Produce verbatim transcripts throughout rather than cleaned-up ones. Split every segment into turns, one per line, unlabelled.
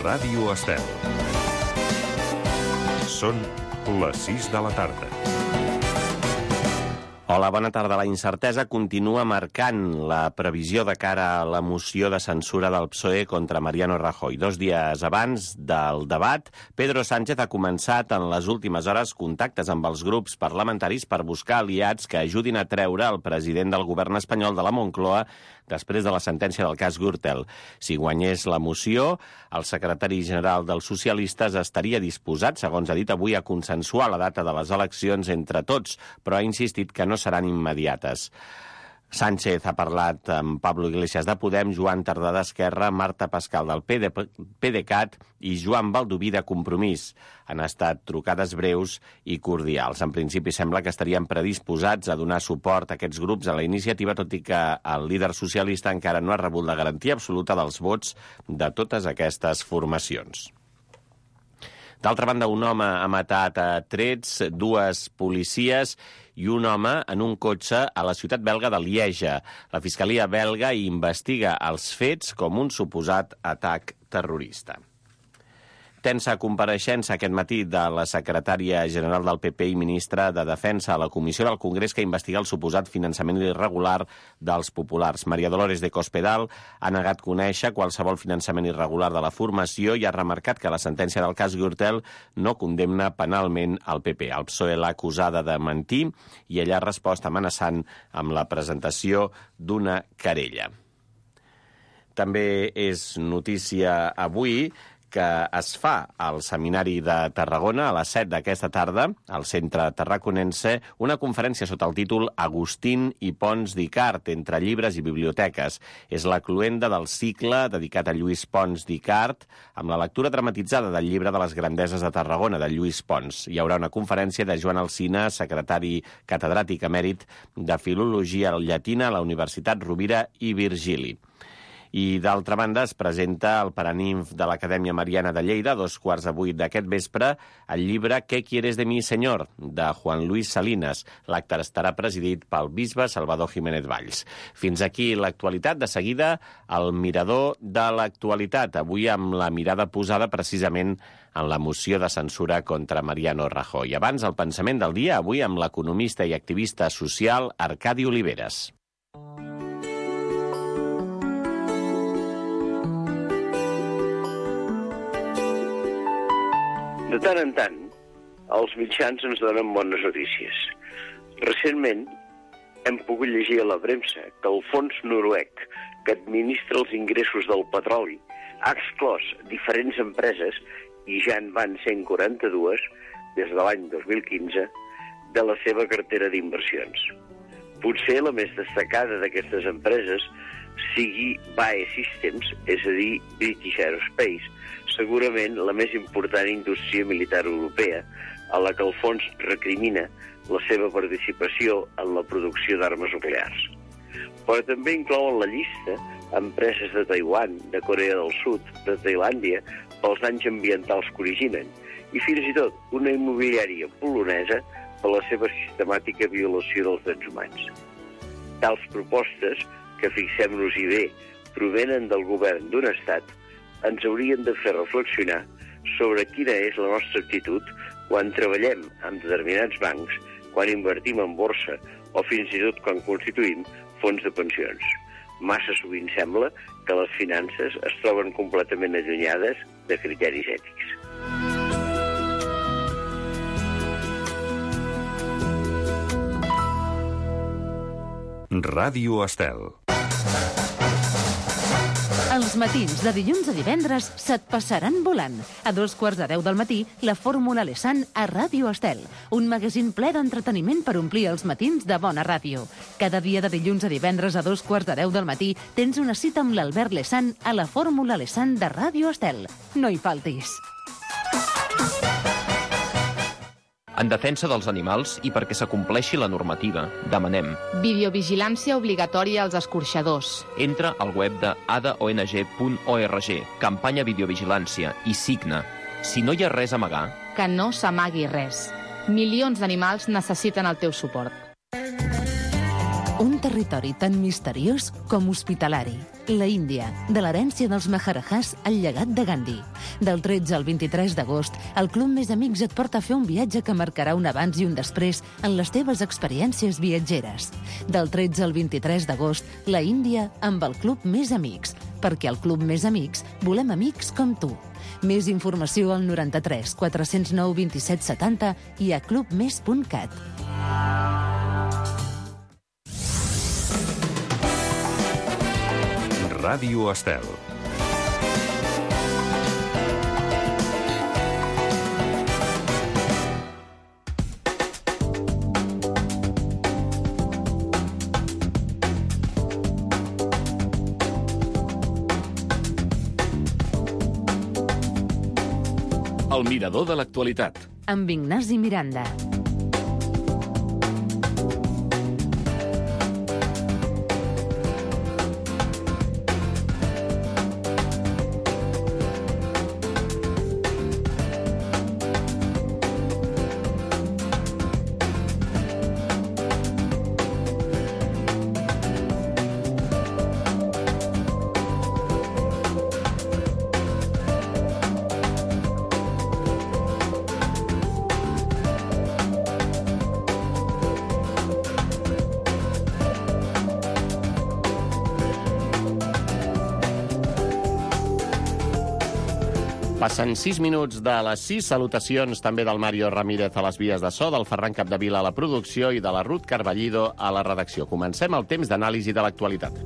Ràdio Estel. Són les sis de la tarda.
Hola, bona tarda. La incertesa continua marcant la previsió de cara a la moció de censura del P S O E contra Mariano Rajoy. Dos dies abans del debat, Pedro Sánchez ha començat en les últimes hores contactes amb els grups parlamentaris per buscar aliats que ajudin a treure el president del govern espanyol de la Moncloa després de la sentència del cas Gürtel. Si guanyés la moció, el secretari general dels socialistes estaria disposat, segons ha dit avui, a consensuar la data de les eleccions entre tots, però ha insistit que no seran immediates. Sánchez ha parlat amb Pablo Iglesias de Podem, Joan Tardà d'Esquerra, Marta Pascal del PDeCAT i Joan Baldoví de Compromís. Han estat trucades breus i cordials. En principi sembla que estarien predisposats a donar suport a aquests grups a la iniciativa, tot i que el líder socialista encara no ha rebut la garantia absoluta dels vots de totes aquestes formacions. D'altra banda, un home ha matat a trets dues policies i un home en un cotxe a la ciutat belga de Lieja. La Fiscalia belga investiga els fets com un suposat atac terrorista. Tensa compareixença aquest matí de la secretària general del P P i ministra de Defensa a la Comissió del Congrés que investiga el suposat finançament irregular dels populars. Maria Dolores de Cospedal ha negat conèixer qualsevol finançament irregular de la formació i ha remarcat que la sentència del cas Gürtel no condemna penalment el P P. El P S O E l'ha acusada de mentir i ella ha respost amenaçant amb la presentació d'una querella. També és notícia avui que es fa al Seminari de Tarragona a les set d'aquesta tarda, al centre tarraconense, una conferència sota el títol Agustín i Pons d'Icart, entre llibres i biblioteques. És la cloenda del cicle dedicat a Lluís Pons d'Icart, amb la lectura dramatitzada del llibre de les grandeses de Tarragona, de Lluís Pons. Hi haurà una conferència de Joan Alsina, secretari catedràtic emèrit de Filologia Llatina a la Universitat Rovira i Virgili. I, d'altra banda, es presenta el Paraninf de l'Acadèmia Mariana de Lleida, a dos quarts de vuit d'aquest vespre, el llibre «¿Qué quieres de mi, señor?», de Juan Luis Salinas. L'acte estarà presidit pel bisbe Salvador Jiménez Valls. Fins aquí l'actualitat. De seguida, el mirador de l'actualitat, avui amb la mirada posada precisament en la moció de censura contra Mariano Rajoy. Abans, el pensament del dia, avui amb l'economista i activista social Arcadi Oliveres.
De tant en tant, els mitjans ens donen bones notícies. Recentment, hem pogut llegir a la premsa que el fons noruec que administra els ingressos del petroli ha exclòs diferents empreses, i ja en van cent quaranta-dues, des de l'any dos mil quinze, de la seva cartera d'inversions. Potser la més destacada d'aquestes empreses sigui B A E Systems, és a dir, British Aerospace, segurament la més important indústria militar europea, a la que el fons recrimina la seva participació en la producció d'armes nuclears. Però també inclou en la llista empreses de Taiwan, de Corea del Sud, de Tailàndia, pels danys ambientals que originen, i fins i tot una immobiliària polonesa per la seva sistemàtica violació dels drets humans. Tals propostes, que fixem-nos-hi bé, provenen del govern d'un estat, ens haurien de fer reflexionar sobre quina és la nostra actitud quan treballem amb determinats bancs, quan invertim en borsa o fins i tot quan constituïm fons de pensions. Massa sovint sembla que les finances es troben completament allunyades de criteris ètics.
Ràdio Estel.
Els matins de dilluns a divendres se't passaran volant. A dos quarts de deu del matí, la Fórmula Lesan a Ràdio Estel. Un magazín ple d'entreteniment per omplir els matins de bona ràdio. Cada dia de dilluns a divendres a dos quarts de deu del matí tens una cita amb l'Albert Lesan a la Fórmula Lesan de Ràdio Estel. No hi faltis.
En defensa dels animals i perquè s'acompleixi la normativa, demanem
videovigilància obligatòria als escorxadors.
Entra al web de a d o n g punt org, campanya videovigilància, i signa. Si no hi ha res a amagar,
que no s'amagui res. Milions d'animals necessiten el teu suport.
Un territori tan misteriós com hospitalari. La Índia, de l'herència dels Maharajahs al llegat de Gandhi. Del tretze al vint-i-tres d'agost, el Club Més Amics et porta a fer un viatge que marcarà un abans i un després en les teves experiències viatgeres. Del tretze al vint-i-tres d'agost, la Índia amb el Club Més Amics. Perquè al Club Més Amics volem amics com tu. Més informació al noranta-tres quatre-cents nou vint-i-set setanta i a club més punt cat.
Ràdio Estel.
El mirador de l'actualitat.
Amb Ignasi Miranda.
Passen sis minuts de les sis. Salutacions també del Mario Ramírez a les vies de so, del Ferran Capdevila a la producció i de la Ruth Carballido a la redacció. Comencem el temps d'anàlisi de l'actualitat.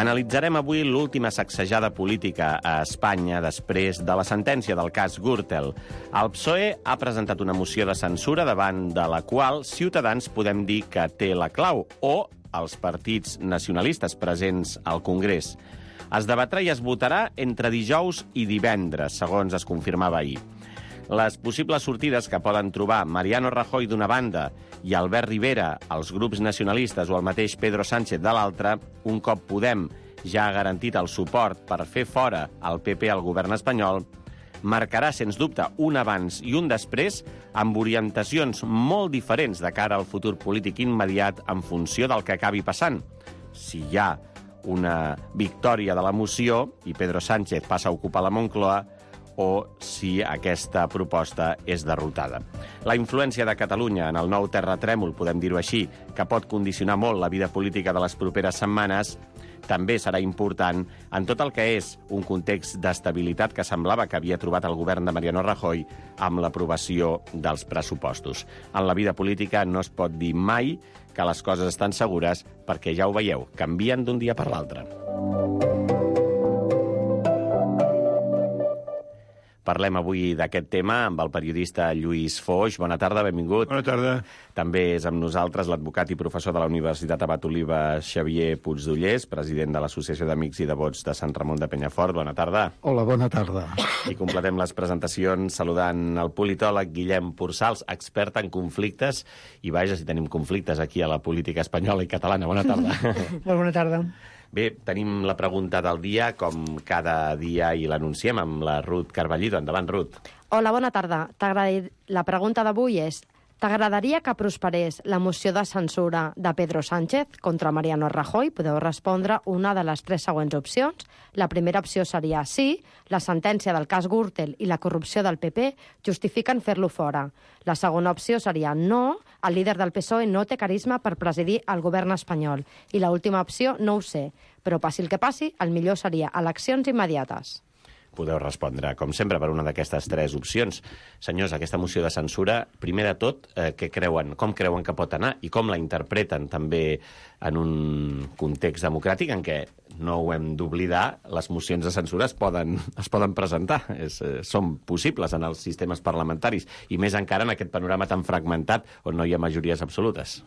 Analitzarem avui l'última sacsejada política a Espanya després de la sentència del cas Gürtel. El P S O E ha presentat una moció de censura davant de la qual Ciutadans podem dir que té la clau, o els partits nacionalistes presents al Congrés. Es debatrà i es votarà entre dijous i divendres, segons es confirmava ahir. Les possibles sortides que poden trobar Mariano Rajoy d'una banda i Albert Rivera, els grups nacionalistes o el mateix Pedro Sánchez de l'altra, un cop Podem ja ha garantit el suport per fer fora el P P al govern espanyol, marcarà, sens dubte, un abans i un després amb orientacions molt diferents de cara al futur polític immediat en funció del que acabi passant. Si hi ha una victòria de la moció i Pedro Sánchez passa a ocupar la Moncloa, o si aquesta proposta és derrotada. La influència de Catalunya en el nou terratrèmol, podem dir-ho així, que pot condicionar molt la vida política de les properes setmanes, també serà important en tot el que és un context d'estabilitat que semblava que havia trobat el govern de Mariano Rajoy amb l'aprovació dels pressupostos. En la vida política no es pot dir mai que les coses estan segures perquè, ja ho veieu, canvien d'un dia per l'altre. Parlem avui d'aquest tema amb el periodista Lluís Foix. Bona tarda, benvingut.
Bona tarda.
També és amb nosaltres l'advocat i professor de la Universitat Abat Oliva, Xavier Puigdollers, president de l'Associació d'Amics i Devots de Sant Ramon de Penyafort. Bona tarda.
Hola, bona tarda.
I completem les presentacions saludant el politòleg Guillem Pursals, expert en conflictes, i vaja, si tenim conflictes aquí a la política espanyola i catalana. Bona tarda.
Molt bona tarda.
Bé, tenim la pregunta del dia, com cada dia, i l'anunciem amb la Ruth Carballido. Endavant, Ruth.
Hola, bona tarda. La pregunta d'avui és: t'agradaria que prosperés la moció de censura de Pedro Sánchez contra Mariano Rajoy? Podeu respondre una de les tres següents opcions. La primera opció seria sí, la sentència del cas Gürtel i la corrupció del P P justifiquen fer-lo fora. La segona opció seria no, el líder del P S O E no té carisma per presidir el govern espanyol. I l'última opció, no ho sé, però passi el que passi, el millor seria eleccions immediates.
Podeu respondre, com sempre, per una d'aquestes tres opcions. Senyors, aquesta moció de censura, primer de tot, eh, què creuen, com creuen que pot anar i com la interpreten també en un context democràtic en què, no ho hem d'oblidar, les mocions de censura es poden, es poden presentar, és, eh, són possibles en els sistemes parlamentaris, i més encara en aquest panorama tan fragmentat on no hi ha majories absolutes.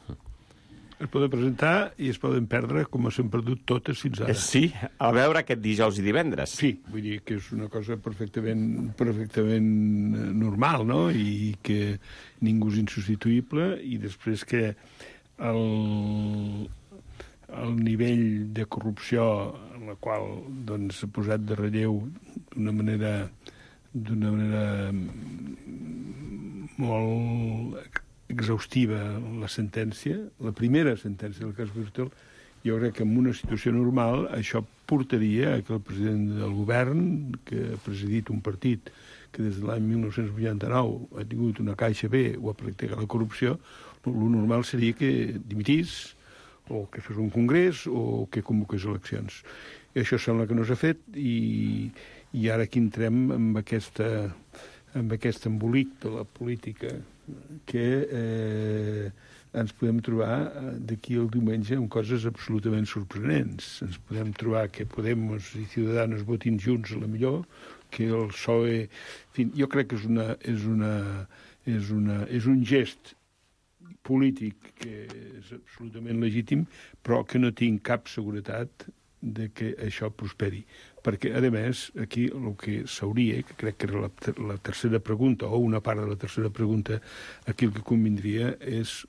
Es poden presentar i es poden perdre com s'han perdut totes fins ara.
Sí, a veure aquest dijous i divendres.
Sí, vull dir que és una cosa perfectament, perfectament normal, no? I que ningú és insubstituïble, i després que el, el nivell de corrupció en la qual doncs, s'ha posat de relleu d'una manera d'una manera molt exhaustiva la sentència, la primera sentència del cas Gürtel. Jo crec que en una situació normal això portaria a que el president del govern, que ha presidit un partit que des de l'any mil nou-cents vuitanta-nou ha tingut una caixa B o ha practicat la corrupció, el normal seria que dimitís, o que fes un congrés, o que convoqués eleccions. I això sembla que no s'ha fet, i, i ara aquí entrem amb, aquesta, amb aquest embolic de la política que eh, ens podem trobar d'aquí al diumenge amb coses absolutament sorprenents. Ens podem trobar que Podemos i Ciudadanos votin junts a la millor, que el P S O E... En fi, jo crec que és, una, és, una, és, una, és un gest polític que és absolutament legítim, però que no tinc cap seguretat de que això prosperi. Perquè, a més, aquí el que s'hauria, que crec que era la, la tercera pregunta, o una part de la tercera pregunta, aquí el que convindria és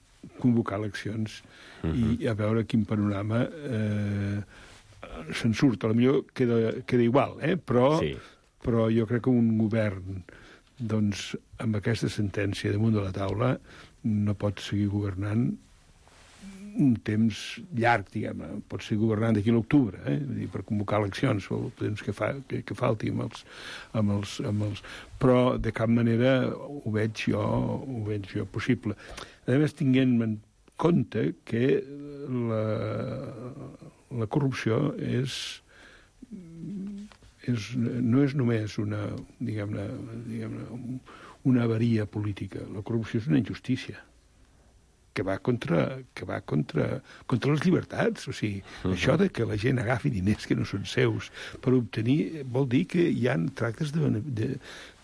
convocar eleccions uh-huh. i a veure quin panorama eh, se'n surt. A la millor queda, queda igual, eh? però, sí. però jo crec que un govern doncs, amb aquesta sentència damunt de la taula no pot seguir governant un temps llarg, diguem-ne. Pot seguir governant d'aquí a l'octubre, eh? Vull dir, per convocar eleccions, o el temps que, fa, que, que falti amb els, amb els, amb els... Però, de cap manera, ho veig jo, ho veig jo possible. A més, tinguent en compte que la, la corrupció és, és, no és només una, diguem-ne, diguem-ne, una avaria política. La corrupció és una injustícia que va contra, que va contra, contra les llibertats. O sigui, uh-huh. això de que la gent agafi diners que no són seus per obtenir, vol dir que hi ha tractes de, de,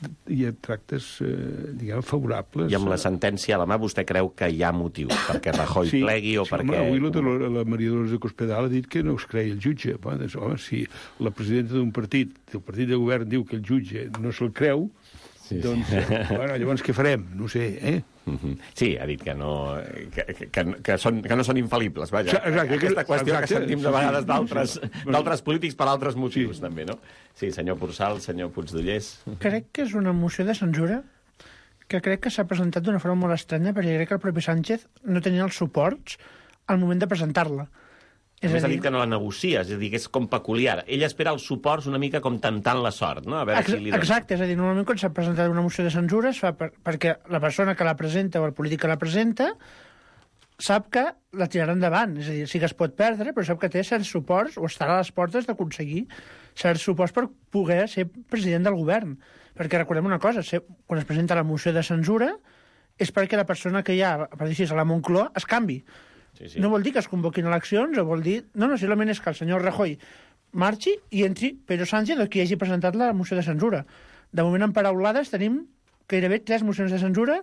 de hi ha tractes, eh, diguem, favorables.
I amb la sentència a la mà vostè creu que hi ha motiu perquè Rajoy sí, plegui o sí, perquè...
Home, avui la, la Maria Dolors de Cospedal ha dit que no es creia el jutge. Home, doncs, home, si la presidenta d'un partit, el partit de govern diu que el jutge no se'l creu, sí, doncs, sí. Eh, bueno, llavors què farem? No sé, eh? Uh-huh.
Sí, ha dit que no, que, que, que, són, que no són infal·libles, vaja. Exacte, aquesta qüestió exacte, que sentim de vegades sí, d'altres sí, sí. polítics per altres motius, sí. també, no? Sí, senyor Porçal, senyor Puigdollers.
Crec que és una moció de censura que crec que s'ha presentat d'una forma molt estranya, perquè crec que el propi Sánchez no tenia els suports al moment de presentar-la.
És a dir, ha dit que no la negocia, és a dir, que és com peculiar. Ell espera els suports una mica com tentant la sort, no? A veure
Ex
si li dona.
Exacte, és a dir, normalment quan s'ha presentat una moció de censura es fa per, perquè la persona que la presenta o el polític que la presenta sap que la tirarà endavant, és a dir, sí que es pot perdre, però sap que té certs suports o estarà a les portes d'aconseguir certs suports per poder ser president del govern. Perquè recordem una cosa, ser, quan es presenta la moció de censura és perquè la persona que hi ha, per dir així, a la Moncloa es canvi. Sí, sí. No vol dir que es convoquin eleccions, o vol dir... No, no, simplement és que el senyor Rajoy marxi i entri Pedro Sánchez o qui hagi presentat la moció de censura. De moment, en paraulades, tenim gairebé tres mocions de censura,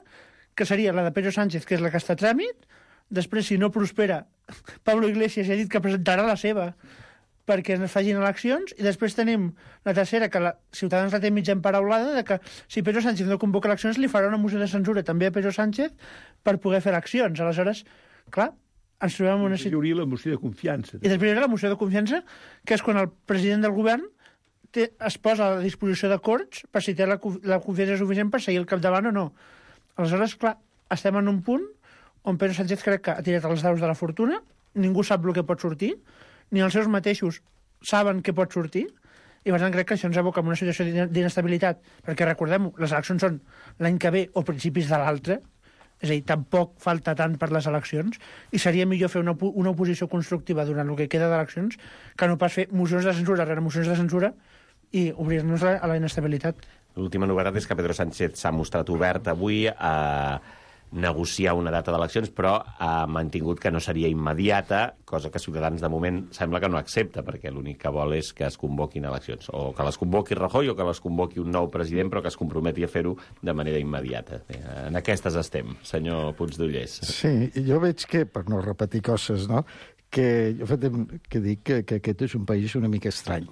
que seria la de Pedro Sánchez, que és la que està a tràmit. Després, si no prospera, Pablo Iglesias ha dit que presentarà la seva perquè es facin eleccions, i després tenim la tercera, que la Ciutadans la té mitja emparaulada, de que si Pedro Sánchez no convoca eleccions, li farà una moció de censura també a Pedro Sánchez per poder fer eleccions. Aleshores, clar, ens trobem en una situació...
Hi hauria la moció de confiança.
I després hi haurà la moció de confiança, que és quan el president del govern té, es posa a la disposició de Corts per si té la, la confiança suficient per seguir el capdavant o no. Aleshores, clar, estem en un punt on Pedro Sánchez crec que ha tirat els daus de la fortuna, ningú sap el que pot sortir, ni els seus mateixos saben què pot sortir, i per tant crec que això ens aboca en una situació d'inestabilitat, perquè recordem-ho, les eleccions són l'any que ve o principis de l'altre, és a dir, tampoc falta tant per les eleccions, i seria millor fer una, una oposició constructiva durant el que queda d'eleccions que no pas fer mocions de censura rere mocions de censura i obrir-nos a la inestabilitat.
L'última novetat és que Pedro Sánchez s'ha mostrat obert avui a negociar una data d'eleccions, però ha mantingut que no seria immediata, cosa que Ciutadans de moment sembla que no accepta, perquè l'únic que vol és que es convoquin eleccions, o que les convoqui Rajoy o que les convoqui un nou president, però que es comprometi a fer-ho de manera immediata. En aquestes estem, senyor Puigdollers.
Sí, jo veig que, per no repetir coses, no?, que jo fet que dic que, que aquest és un país una mica estrany.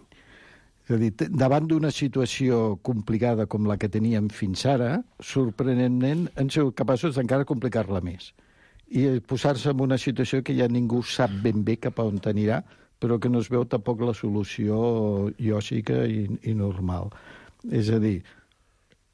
És a dir, davant d'una situació complicada com la que teníem fins ara, sorprenentment han sigut capaços d'encara complicar-la més. I posar-se en una situació que ja ningú sap ben bé cap a on anirà, però que no es veu tampoc la solució lògica i, i normal. És a dir,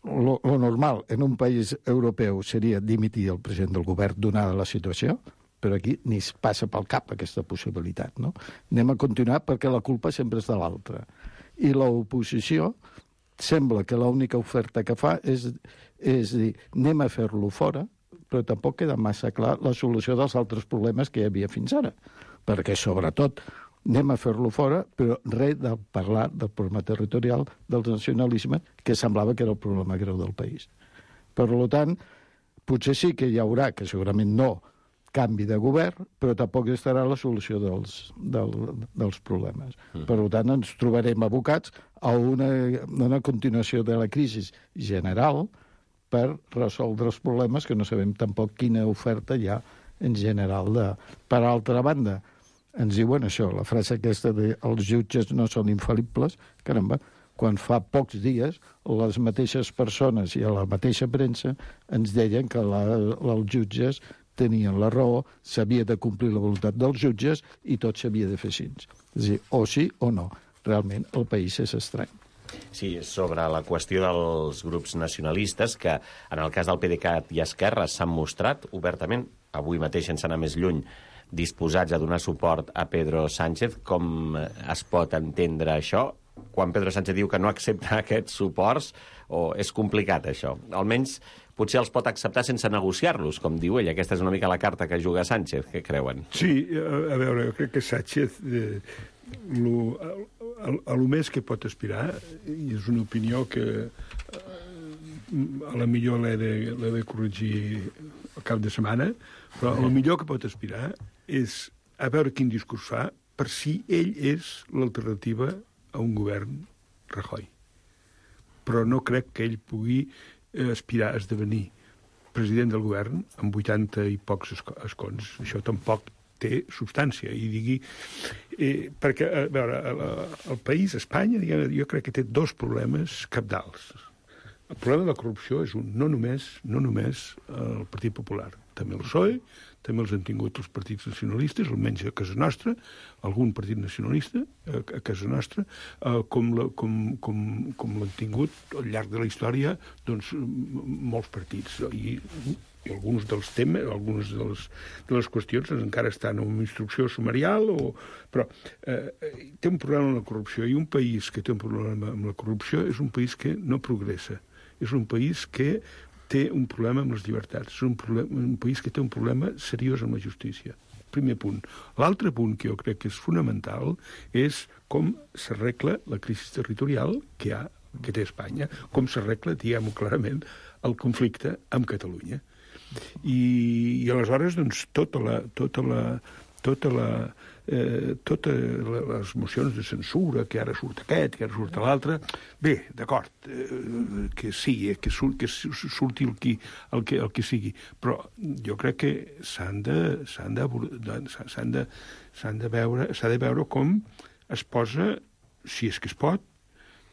lo, lo normal en un país europeu seria dimitir el president del govern donada la situació, però aquí ni es passa pel cap aquesta possibilitat, no? Anem a continuar perquè la culpa sempre és de l'altre. I l'oposició sembla que l'única oferta que fa és, és dir, anem a fer-lo fora, però tampoc queda massa clar la solució dels altres problemes que hi havia fins ara. Perquè, sobretot, anem a fer-lo fora, però res de parlar del problema territorial, del nacionalisme, que semblava que era el problema greu del país. Per tant, potser sí que hi haurà, que segurament no, canvi de govern, però tampoc estarà la solució dels, del, dels problemes. Mm. Per tant, ens trobarem abocats a una, una continuació de la crisi general per resoldre els problemes que no sabem tampoc quina oferta hi ha en general. De... Per altra banda, ens diuen això, la frase aquesta de els jutges no són infal·libles, caramba, quan fa pocs dies les mateixes persones i a la mateixa premsa ens deien que la, els jutges tenien la raó, s'havia de complir la voluntat dels jutges i tot s'havia de fer així. És a dir, o sí o no. Realment el país és estrany.
Sí, sobre la qüestió dels grups nacionalistes, que en el cas del PDeCAT i Esquerra s'han mostrat obertament, avui mateix sense anar més lluny, disposats a donar suport a Pedro Sánchez. Com es pot entendre això? Quan Pedro Sánchez diu que no accepta aquests suports, o és complicat això? Almenys potser els pot acceptar sense negociar-los, com diu ell. Aquesta és una mica la carta que juga Sánchez, què creuen?
Sí, a veure, jo crec que Sánchez, eh, lo, a, a lo més que pot aspirar, i és una opinió que eh, a la millor l'he de, l'he de corregir al cap de setmana, però el millor que pot aspirar és a veure quin discurs fa per si ell és l'alternativa a un govern Rajoy. Però no crec que ell pugui aspirar a esdevenir president del govern amb vuitanta i pocs escons. Això tampoc té substància. I digui... Eh, perquè, a veure, el, el país, Espanya, jo crec que té dos problemes cabdals. El problema de la corrupció és un, no només, no només el Partit Popular, també el P S O E, també els han tingut els partits nacionalistes, almenys a casa nostra, algun partit nacionalista a, a casa nostra, eh, com, la, com, com, com l'han tingut al llarg de la història doncs, molts partits. I, i alguns dels temes, algunes de les, de les qüestions encara estan en instrucció sumarial, o, però eh, té un problema amb la corrupció, i un país que té un problema amb la corrupció és un país que no progressa. És un país que té un problema amb les llibertats. És un, problema, un país que té un problema seriós amb la justícia. Primer punt. L'altre punt que jo crec que és fonamental és com s'arregla la crisi territorial que, ha, que té Espanya, com s'arregla, diguem-ho clarament, el conflicte amb Catalunya. I, i aleshores, doncs, tota la... Tota la tota la, eh, totes les mocions de censura, que ara surt aquest, que ara surt l'altre, bé, d'acord, eh, que sí, eh, que, sur, que surti el qui, el, que, el que sigui, però jo crec que s'han de, s'han de, s'han de, s'han de veure, s'ha de veure com es posa, si és que es pot,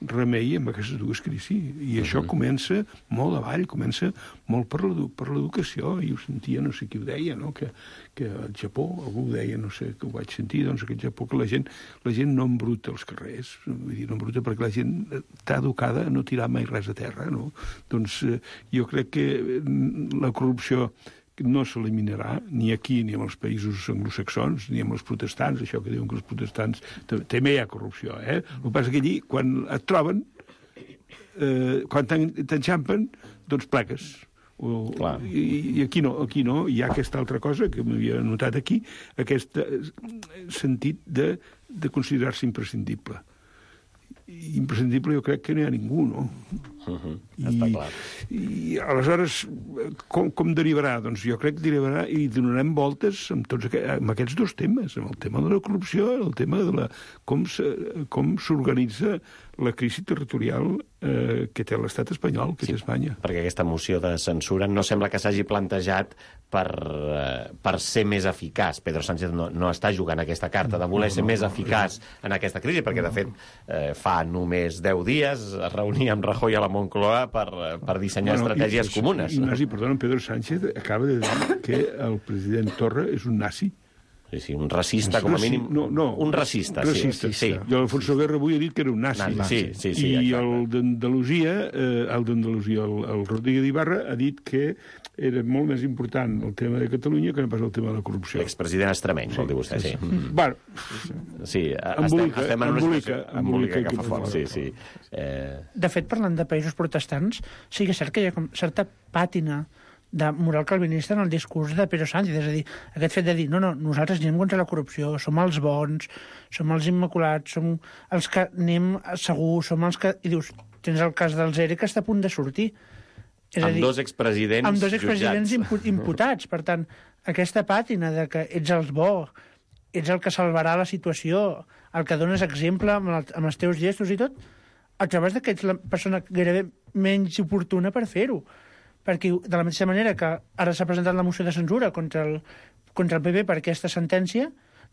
remei amb aquestes dues crisis. I això uh-huh. comença molt avall, comença molt per l'educació, i ho sentia, no sé qui ho deia, no? que, que al Japó, algú ho deia, no sé, que ho vaig sentir, doncs que al Japó que la gent, la gent no embruta els carrers, vull dir, no embruta perquè la gent està educada a no tirar mai res a terra, no? Doncs eh, jo crec que la corrupció no s'eliminarà ni aquí ni en els països anglosaxons ni en els protestants, això que diuen que els protestants també hi ha corrupció, eh? El que passa que allí, quan et troben, eh, quan t'enxampen, doncs plegues. O, i, I aquí no, aquí no, hi ha aquesta altra cosa que m'havia notat aquí, aquest sentit de, de considerar-se imprescindible. Imprescindible jo crec que no hi ha ningú, no?
Uh-huh.
I,
Està clar.
I aleshores, com, com derivarà? Doncs jo crec que derivarà i donarem voltes amb, tots aqu amb aquests dos temes, amb el tema de la corrupció, el tema de la, com s'organitza la crisi territorial eh, que té l'estat espanyol, que sí, té Espanya.
Perquè aquesta moció de censura no sembla que s'hagi plantejat per, eh, per ser més eficaç. Pedro Sánchez no, no està jugant aquesta carta de voler no, no, ser més eficaç no, en aquesta crisi, perquè, de fet, eh, fa només deu dies es reunia amb Rajoy a la Moncloa per, per dissenyar bueno, estratègies
i,
comunes.
Ignasi, perdona, Pedro Sánchez acaba de dir que el president Torra és un nazi.
Sí, sí, un racista, com a mínim...
No, no.
Un racista,
racista.
sí. sí.
I l'Alfonso Guerra avui ha dit que era un nazi.
nazi. Sí, sí, sí,
I
exacte.
el d'Andalusia, eh, el d'Andalusia, el, el Rodríguez d'Ibarra, ha dit que era molt més important el tema de Catalunya que no pas el tema de la corrupció.
L'expresident extremeny, sí, vol dir vostè, sí. sí.
Mm. Bueno,
sí,
embolica,
estem, estem en una
embolica,
situació embolica que fa fort, sí, sí. Eh...
De fet, parlant de països protestants, sí que és cert que hi ha com certa pàtina de moral calvinista en el discurs de Pedro Sánchez. És a dir, aquest fet de dir, no, no, nosaltres anem contra la corrupció, som els bons, som els immaculats, som els que anem segur, som els que... I dius, tens el cas del Zere que està a punt de sortir. És
amb
a dir,
dos expresidents
amb dos expresidents impu imputats. Per tant, aquesta pàtina de que ets el bo, ets el que salvarà la situació, el que dones exemple amb, el, amb els teus gestos i tot, et trobes que ets la persona gairebé menys oportuna per fer-ho. Perquè de la mateixa manera que ara s'ha presentat la moció de censura contra el, contra el P P per aquesta sentència,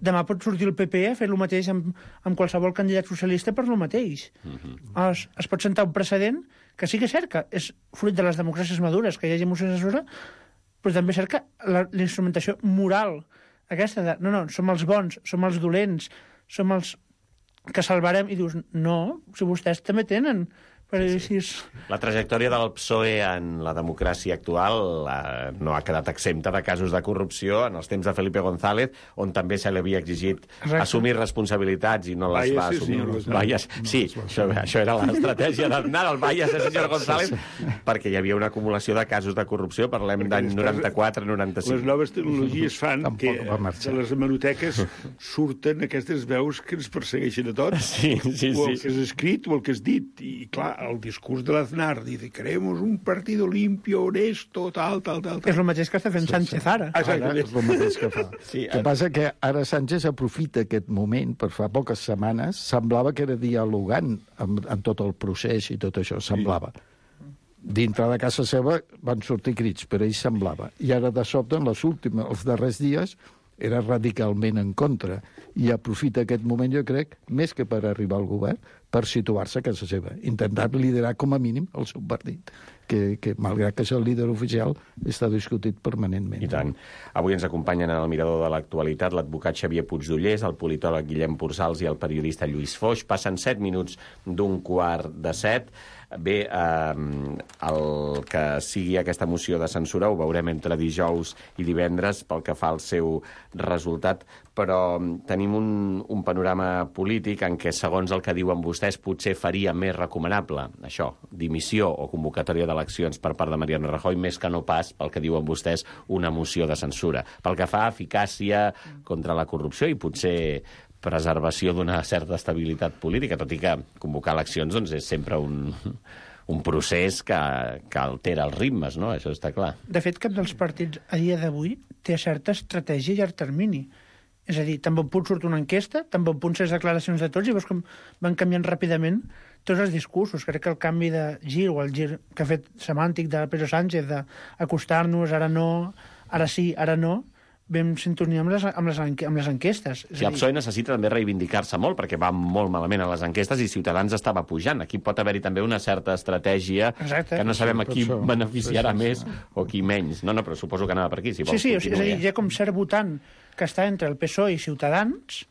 demà pot sortir el P P a fer el mateix amb, amb qualsevol candidat socialista per el mateix. Uh-huh. es, es pot sentar un precedent que sí que és cert que és fruit de les democràcies madures que hi hagi moció de censura, però també és cert que la, la instrumentació moral aquesta de, no, no, som els bons, som els dolents, som els que salvarem, i dius, no, si vostès també tenen... Sí, sí.
La trajectòria del P S O E en la democràcia actual eh, no ha quedat exempta de casos de corrupció en els temps de Felipe González, on també se li havia exigit Exacte. assumir responsabilitats i no les Vaya, va assumir. Sí, Vaya, sí, no, això, això era l'estratègia d'Aznar, el Vaya, senyor González, perquè hi havia una acumulació de casos de corrupció, parlem d'any noranta-quatre noranta-cinc.
Les noves tecnologies fan que de les hemeroteques surten aquestes veus que ens persegueixen a tots,
sí, sí,
o el
sí.
que és escrit o el que és dit, i clar, el discurs de l'Aznar, dice, queremos un partido limpio, honesto, tal, tal, tal, tal.
És el mateix que està fent Sánchez ara.
Ara és el mateix que fa. Sí, el que passa que ara Sánchez aprofita aquest moment, per fa poques setmanes, semblava que era dialogant amb, amb tot el procés i tot això, semblava. Sí. Dintre de casa seva van sortir crits, però ell semblava. I ara, de sobte, en les últimes, els darrers dies, era radicalment en contra. I aprofita aquest moment, jo crec, més que per arribar al govern, per situar-se a casa seva. Intentar liderar, com a mínim, el seu partit, que, que malgrat que és el líder oficial, està discutit permanentment.
I tant. Avui ens acompanyen en el mirador de l'actualitat l'advocat Xavier Puigdollers, el politòleg Guillem Pursals i el periodista Lluís Foix. Passen set minuts d'un quart de set. Bé, eh, el que sigui aquesta moció de censura ho veurem entre dijous i divendres pel que fa al seu resultat, però tenim un, un panorama polític en què, segons el que diuen vostès, potser faria més recomanable això, dimissió o convocatòria d'eleccions per part de Mariano Rajoy, més que no pas, pel que diuen vostès, una moció de censura. Pel que fa a eficàcia contra la corrupció i potser preservació d'una certa estabilitat política, tot i que convocar eleccions doncs, és sempre un, un procés que, que altera els ritmes, no? Això està clar.
De fet, cap dels partits a dia d'avui té certa estratègia a llarg termini. És a dir, tan bon punt surt una enquesta, tan bon punt les declaracions de tots, i veus com van canviant ràpidament tots els discursos. Crec que el canvi de gir, o el gir que ha fet semàntic de Pedro Sánchez, d'acostar-nos, ara no, ara sí, ara no, vam sintonia amb les, amb les, amb les enquestes.
Sí, el P S O E necessita també reivindicar-se molt, perquè va molt malament a les enquestes i Ciutadans estava pujant. Aquí pot haver-hi també una certa estratègia Exacte. que no sabem a qui beneficiarà més o qui menys. No, no, però suposo que anava per aquí, si vols.
Sí, sí, és a dir, hi ha com cert votant que està entre el P S O E i Ciutadans,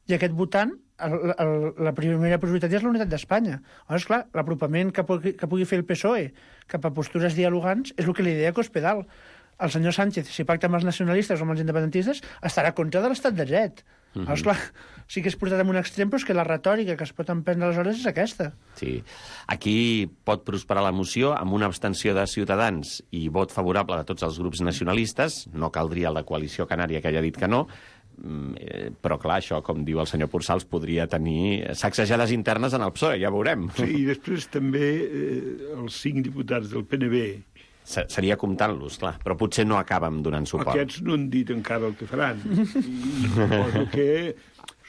i aquest votant, el, el, la primera prioritat és la unitat d'Espanya. Llavors, clar, l'apropament que, pugui, que pugui fer el P S O E cap a postures dialogants és el que li deia Cospedal. El senyor Sánchez, si pacta amb els nacionalistes o amb els independentistes, estarà contra de l'estat de dret. Uh -huh. Llavors, clar, sí que és portat en un extrem, però és que la retòrica que es pot emprendre aleshores és aquesta.
Sí. Aquí pot prosperar la moció amb una abstenció de Ciutadans i vot favorable de tots els grups nacionalistes. No caldria el de Coalició Canària, que ja ha dit que no, però clar, això, com diu el senyor Pursals, podria tenir sacsejades internes en el P S O E, ja veurem.
Sí, i després també eh, els cinc diputats del P N B...
Seria comptant-los, clar, però potser no acabem donant suport.
Aquests no han dit encara el que faran. I suposo que,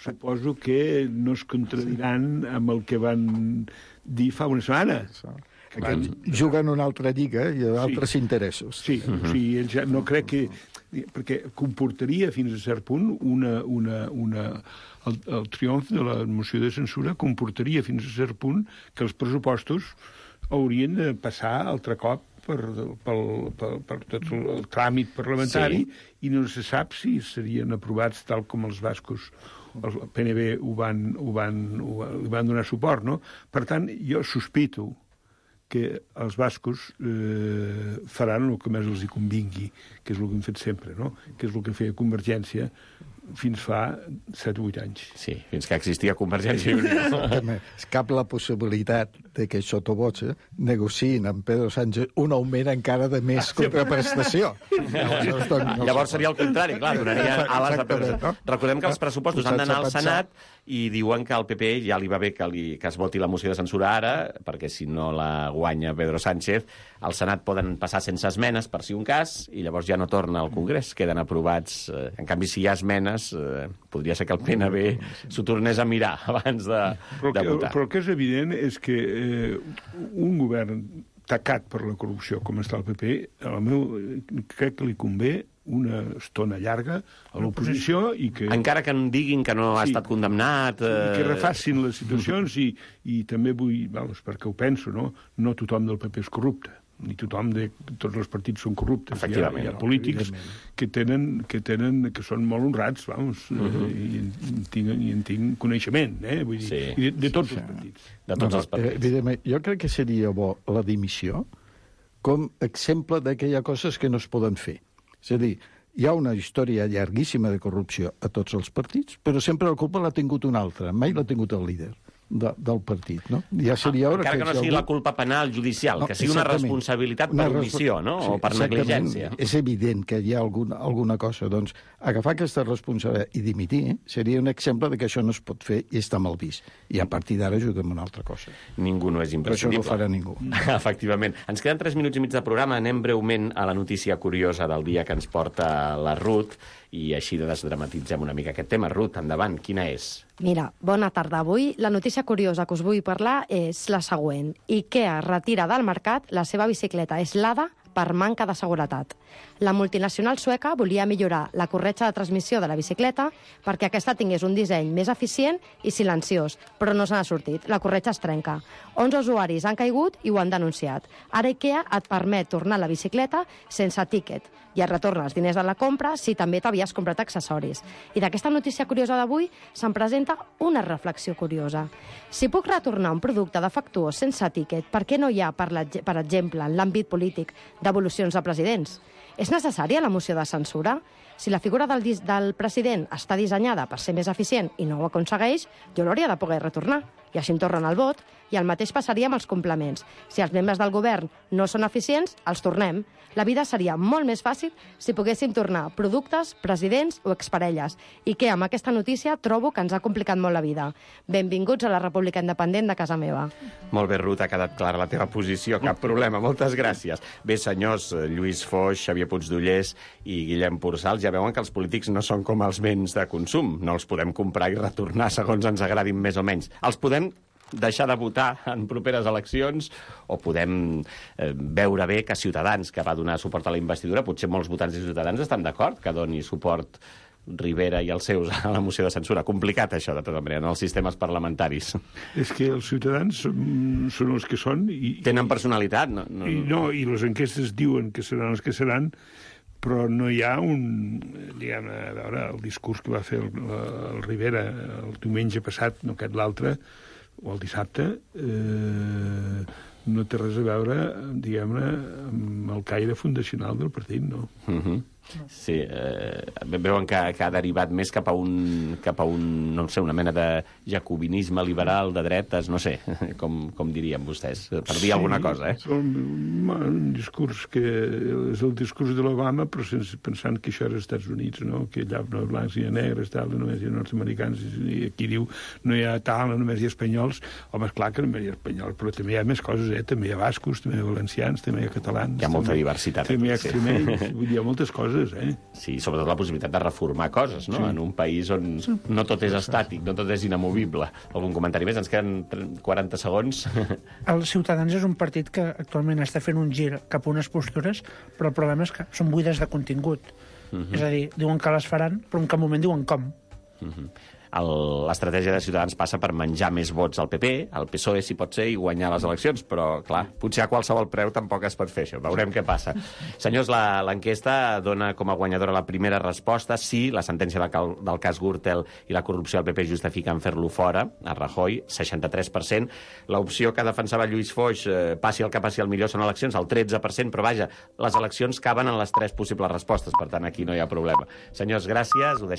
suposo que no es contradiran amb el que van dir fa una setmana.
Aquests juguen una altra lliga i altres sí. interessos.
Sí, uh -huh. o sigui, ja no crec que... Perquè comportaria fins a cert punt una... una, una el, el triomf de la moció de censura comportaria fins a cert punt que els pressupostos haurien de passar altre cop per, pel, per, per tot el, el tràmit parlamentari sí. i no se sap si serien aprovats tal com els bascos, el P N B ho van, ho van, ho, li van donar suport, no? Per tant, jo sospito que els bascos eh, faran el que més els hi convingui, que és el que hem fet sempre, no? Que és el que feia Convergència fins fa set o vuit anys.
Sí, fins que existia Convergència i Unió.
És cap la possibilitat de que sotovoce negociïn amb Pedro Sánchez un augment encara de més contraprestació.
Llavors, no Llavors seria el contrari, clar, donaria ales a Pedro Sánchez. Recordem que els pressupostos han d'anar al Senat i diuen que al P P ja li va bé que, li, que es voti la moció de censura ara, perquè si no la guanya Pedro Sánchez, al Senat poden passar sense esmenes, per si un cas, i llavors ja no torna al Congrés, queden aprovats. En canvi, si hi ha esmenes, eh, podria ser que el P N B s'ho tornés a mirar abans de,
però
de
que,
votar.
Però el que és evident és que eh, un govern tacat per la corrupció, com està el P P, al meu, crec que li convé una estona llarga a l'oposició i que...
Encara que em diguin que no ha
sí,
estat condemnat... Eh...
I que refacin les situacions i, i també vull, vamos, perquè ho penso, no? No tothom del P P és corrupte, ni tothom de... Tots els partits són corruptes. Hi ha, hi ha polítics que tenen, que tenen, que són molt honrats, vamos, uh -huh. i, en tinc, i en tinc coneixement, eh? Vull dir, sí. de, de tots els partits.
De tots
no,
els partits.
Evidentment, jo crec que seria bo la dimissió com exemple de que hi ha coses que no es poden fer. És a dir, hi ha una història llarguíssima de corrupció a tots els partits, però sempre la culpa l'ha tingut un altre, mai l'ha tingut el líder de, del partit, no? Ja seria hora
Encara que, que no sigui algú... la culpa penal judicial, no, que sigui una responsabilitat per omissió, no? Sí, o per negligència.
És evident que hi ha alguna, alguna cosa. Doncs agafar aquesta responsabilitat i dimitir eh, seria un exemple de que això no es pot fer i està mal vist. I a partir d'ara ajudem una altra cosa.
Ningú no és imprescindible.
Però això no ho farà ningú.
Efectivament. Ens queden tres minuts i mig de programa. Anem breument a la notícia curiosa del dia que ens porta la Ruth i així desdramatitzem una mica aquest tema. Ruth, endavant, quina és?
Mira, bona tarda. Avui la notícia curiosa que us vull parlar és la següent. IKEA retira del mercat la seva bicicleta Slada per manca de seguretat. La multinacional sueca volia millorar la corretja de transmissió de la bicicleta perquè aquesta tingués un disseny més eficient i silenciós, però no se n'ha sortit. La corretja es trenca. onze usuaris han caigut i ho han denunciat. Ara IKEA et permet tornar la bicicleta sense tíquet i et retorna els diners de la compra si també t'havies comprat accessoris. I d'aquesta notícia curiosa d'avui se'n presenta una reflexió curiosa. Si puc retornar un producte defectuós sense tíquet, per què no hi ha, per, la, per exemple, en l'àmbit polític, devolucions de presidents? És necessària la moció de censura? Si la figura del, del president està dissenyada per ser més eficient i no ho aconsegueix, jo l'hauria de poder retornar. I així em tornen el vot. I el mateix passaria amb els complements. Si els membres del govern no són eficients, els tornem. La vida seria molt més fàcil si poguéssim tornar productes, presidents o exparelles. I que amb aquesta notícia trobo que ens ha complicat molt la vida. Benvinguts a la República Independent de casa meva.
Molt bé, Ruth, ha quedat clara la teva posició. Cap problema, moltes gràcies. Bé, senyors, Lluís Foix, Xavier Puigdollers i Guillem Porçal, ja veuen que els polítics no són com els béns de consum. No els podem comprar i retornar segons ens agradin més o menys. Els podem deixar de votar en properes eleccions o podem eh, veure bé que Ciutadans, que va donar suport a la investidura, potser molts votants de Ciutadans estan d'acord que doni suport Rivera i els seus a la moció de censura. Complicat, això, de tota manera, en els sistemes parlamentaris.
És que els ciutadans són, són els que són. I,
Tenen personalitat, no? no
I, no, i les enquestes diuen que seran els que seran, però no hi ha un... Diguem, a veure, el discurs que va fer el, el Rivera el diumenge passat, no aquest l'altre, o el dissabte, eh, no té res a veure, diguem-ne, amb el caire fundacional del partit, no?
Uh-huh. Sí, eh, veuen que, que ha derivat més cap a un, cap a un, no sé, una mena de jacobinisme liberal de dretes, no sé, com, com dirien vostès, per dir sí, alguna cosa, eh?
Un, un discurs que és el discurs de l'Obama, però sense, pensant que això era als Estats Units, no? Que allà no hi ha blancs ni negres, tal, només hi ha nord-americans, i aquí diu no hi ha tal, només hi ha espanyols. Home, és clar que només hi ha espanyols, però també hi ha més coses, eh? També hi ha bascos, també hi ha valencians, també hi ha catalans.
Hi ha molta
també,
diversitat.
També hi ha extremenys, sí. Vull dir, hi ha moltes coses. Eh?
Sí, sobretot la possibilitat de reformar coses, no? Sí. En un país on no tot és estàtic, no tot és inamovible. Algun comentari més? Ens queden quaranta segons.
El Ciutadans és un partit que actualment està fent un gir cap a unes postures, però el problema és que són buides de contingut. Uh-huh. És a dir, diuen que les faran, però en cap moment diuen com.
Uh-huh. l'estratègia de Ciutadans passa per menjar més vots al P P, al P S O E si pot ser, i guanyar les eleccions, però, clar, potser a qualsevol preu tampoc es pot fer això. Veurem què passa. Senyors, l'enquesta dona com a guanyadora la primera resposta. Sí, la sentència del, del cas Gürtel i la corrupció del P P justifiquen fer-lo fora, a Rajoy, seixanta-tres per cent. L'opció que defensava Lluís Foix, eh, passi el que passi el millor són eleccions, el tretze per cent, però vaja, les eleccions caben en les tres possibles respostes, per tant, aquí no hi ha problema. Senyors, gràcies, ho deixem.